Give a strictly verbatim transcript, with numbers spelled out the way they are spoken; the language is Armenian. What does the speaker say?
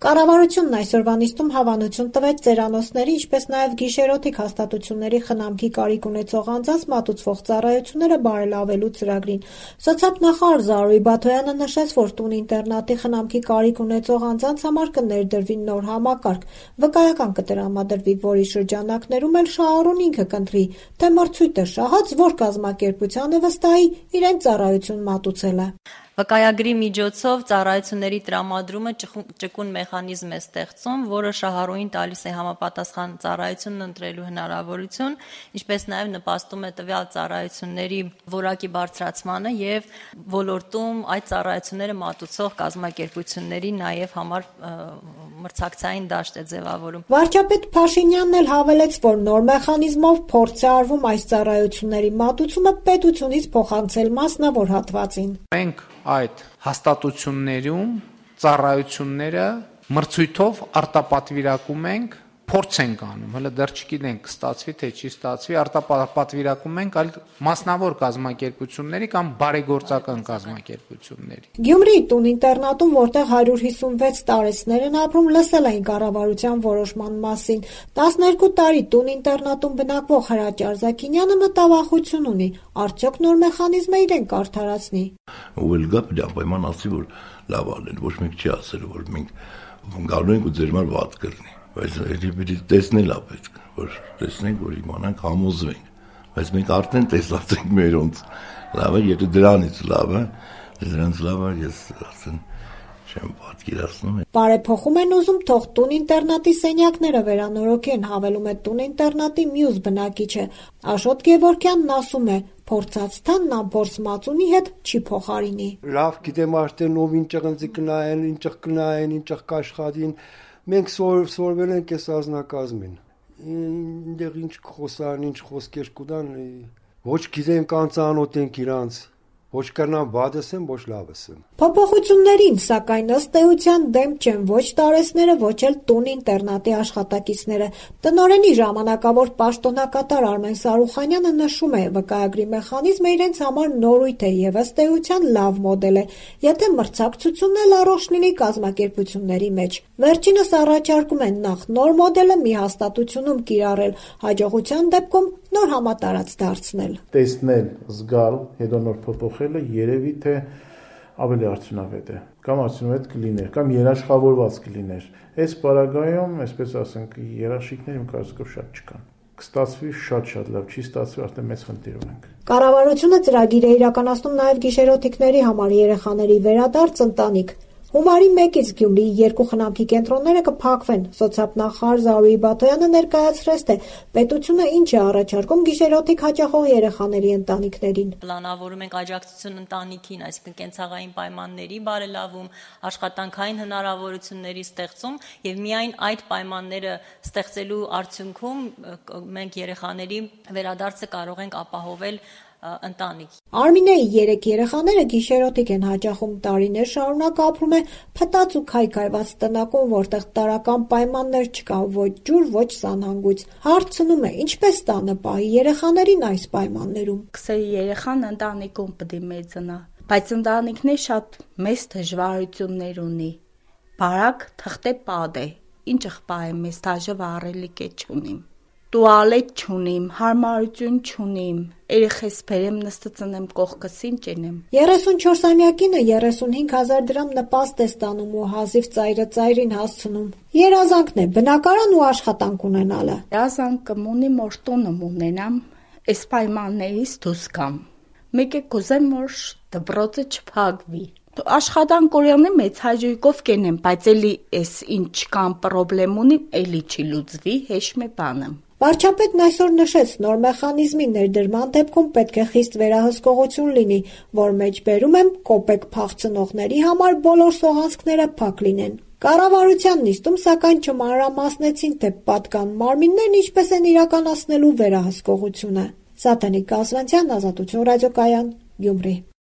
Կառավարությունն այսօրվա նիստում հավանություն տվեց ծերանոցների, ինչպես նաև գիշերօթիկ հաստատությունների խնամքի կարիք ունեցող անձանց մատուցվող ծառայությունները բարելավելու ծրագրին։ Սոցիալնախարար Զարուհի Բաթոյանը նշեց, որ տուն-ինտերնատի խնամքի կարիք ունեցող անձանց համար կներդրվի նոր համակարգ, վկայական կտրամադրվի, որի շրջանակներում էլ շահառուն ինքը կընտրի, թե մրցույթը շահած որ կազմակերպությանը վստահի իրեն ծառայություն մատուցելը։ Վկայագրի միջոցով ծառայությունների տրամադրումը ճկուն մեխանիզմ է ստեղծում, որը շահառուին տալիս է համապատասխան ծառայությունն ընտրելու հնարավորություն, ինչպես նաև նպաստում է տվյալ ծառայությունների որակի բարձրացմանը եւ ոլորտում այդ ծառայությունները մատուցող կազմակերպությունների նաև համար մրցակցային դաշտ է ձևավորում։ Վարչապետ Փաշինյանն էլ հավելեց, որ նոր մեխանիզմով փորձ է արվում այս ծառայությունների մատուցումը պետությունից փոխանցել մասնավոր հատվածին։ Մենք այդ հաստատություններում ծառայությունները մրցույթով արտապատվիրակում ենք, փորձ ենք անում, հələ դեռ չգիտենք կստացվի թե չի ստացվի, արտապատվիրակում ենք այլ մասնավոր կազմակերպությունների կամ բարեգործական կազմակերպությունների։ Գյումրիի տուն-ինտերնատում, որտեղ հարյուր հիսունվեց տարեցներ են ապրում, լսել էին կառավարության որոշման մասին։ տասներկու տարի տուն-ինտերնատում բնակվող Հրաչ Արզակինյանը մտավախություն ունի, արդյոք նոր մեխանիզմը իրեն կարդարացնի։ Ու էլ գա պայման ասի, որ լավ ալեն, ոչ մեկ չի ասել, որ մենք գալու ենք ու ձեր մար վատ կլինի։ Բայց երբի տեսնել է պետք, որ տեսնենք, որ իմանանք, համոզվենք։ Բայց մենք արդեն տեսած ենք մերոնց։ Լավ է, եթե դրանից լավ է, դրանից լավ է, ես ասեն չեմ պատկերացնում։ Բարեփոխում են ուզում թող տուն-ինտերնատի սենյակները վերանորոգեն, հավելում է տուն-ինտերնատի մյուս բնակիչը։ Աշոտ Գևորգյանն ասում է, փորձած թանն ամփորձ մածունի հետ չի փոխարինի։ Լավ գիտեմ արդեն ով ինչ ընձի կնայեն, ինչ կնայեն, ինչ կաշխատին։ Մենք սորվել ենք այս ազնակազմին, ինտեղ ինչ խոսան, ինչ խոսքեր կուտան, ոչ գիտենք անծանոթ ենք իրանց, ոչ կրնան բադս եմ, ոչ լավս եմ։ Փոփոխություններին, սակայն ըստ էության դեմ չեն ոչ տարեցները, ոչ էլ տուն-ինտերնատի աշխատակիցները։ Տնօրենի ժամանակավոր պաշտոնակատար Արմեն Սարուխանյանը նշում է, վկայագրի մեխանիզմը իրենց համար նորույթ է եւ ըստ էության լավ մոդել է, եթե մրցակցությունն էլ առողջ լինի կազմակերպությունների մեջ։ Վերջինս առաջարկում են նախ նոր մոդելը մի հաստատությունում կիրառել, հաջողության դեպքում նոր համատարած դարձնել։ Տեսնել, զգալ, հետո նոր փոփոխելը երևի թե ավելի արդյունավետ է, կամ արդյունավետ կլիներ, կամ երաշխավորված կլիներ։ Այս պարագայում, այսպես ասենք, երաշխիքներ իմ կարծիքով շատ չկան։ Կստացվի շատ-շատ լավ, չի ստացվի արդեն մեծ խնդիր ունենք։ Կառավարությունը ծրագիր է իրականացնում նաև գիշերօթիկների համար երեխաների վերադարձ ընտանիք։ Հունվարի մեկից Գյումրիի երկու խնամքի կենտրոնները կփակվեն։ Սոցիալնախարար Զարուհի Բաթոյանը ներկայացրեց, թե պետությունը ինչ է առաջարկում գիշերօթիկ հաճախող երեխաների ընտանիքներին։ Պլանավորում ենք աջակցություն ընտանիքին, այսինքն կենցաղային պայմանների բարելավում, աշխատանքային հնարավորությունների ստեղծում եւ միայն այդ պայմանները ստեղծելու արդյունքում մենք երեխաների վերադարձը կարող ենք ապահովել ընտանիք։ Արմինեի երեք երեխաները գիշերօթիկ են հաճախում, տարիներ շարունակ ապրում է փտած ու քայքայված տնակում, որտեղ տարրական պայմաններ չկա, ոչ ջուր, ոչ սանհանգույց։ Հարցնում է, ինչպես տանը պահի երեխաներին այս պայմաններում։ Քսերի երեխան ընտանիքում պիտի մեծանա, բայց ընտանիքն է շատ մեծ դժվարություններ ունի։ Բարակ թղթե պատ է, ինչ աղբա է մեզ դժվարելիք է չունիմ։ Տուալետ չունիմ, հարմարություն չունիմ, երեխես բերեմ նստածնեմ կողքս ինչ ենեմ։ երեսունչորսամյակինը երեսունհինգ հազար դրամ նպաստ է ստանում ու հազիվ ծայրը ծայրին հասցնում։ Երազանքն է բնակարան ու աշխատանք ունենալը։ Երազանքım ունի որ տունım ունենամ, այս պայմաններից դուրս գամ։ Մեկ է կուզեմ որ դպրոցը չփակվի։ Աշխատանք օրյանը մեծ հաջողով կենեմ, բայց էլի էս ինչ կամ պրոբլեմ ունի, էլի չի լուծվի, հեշտ մե բանը։ Վարչապետն այսօր նշեց, նոր մեխանիզմի ներդրման դեպքում պետք է խիստ վերահսկողություն լինի, որ մեջբերում եմ կոպեկ փախցնողների համար բոլոր սողանցքները փակ լինեն։ Կառավարության նիստում սակայն չմանրամասնեցին, թե պատկան մարմիններն ինչպես են իրականացնելու վերահսկողությունը։ Սատանիկ Կասվանցյան, Ազատություն ռադիոկայան, Գյումրի։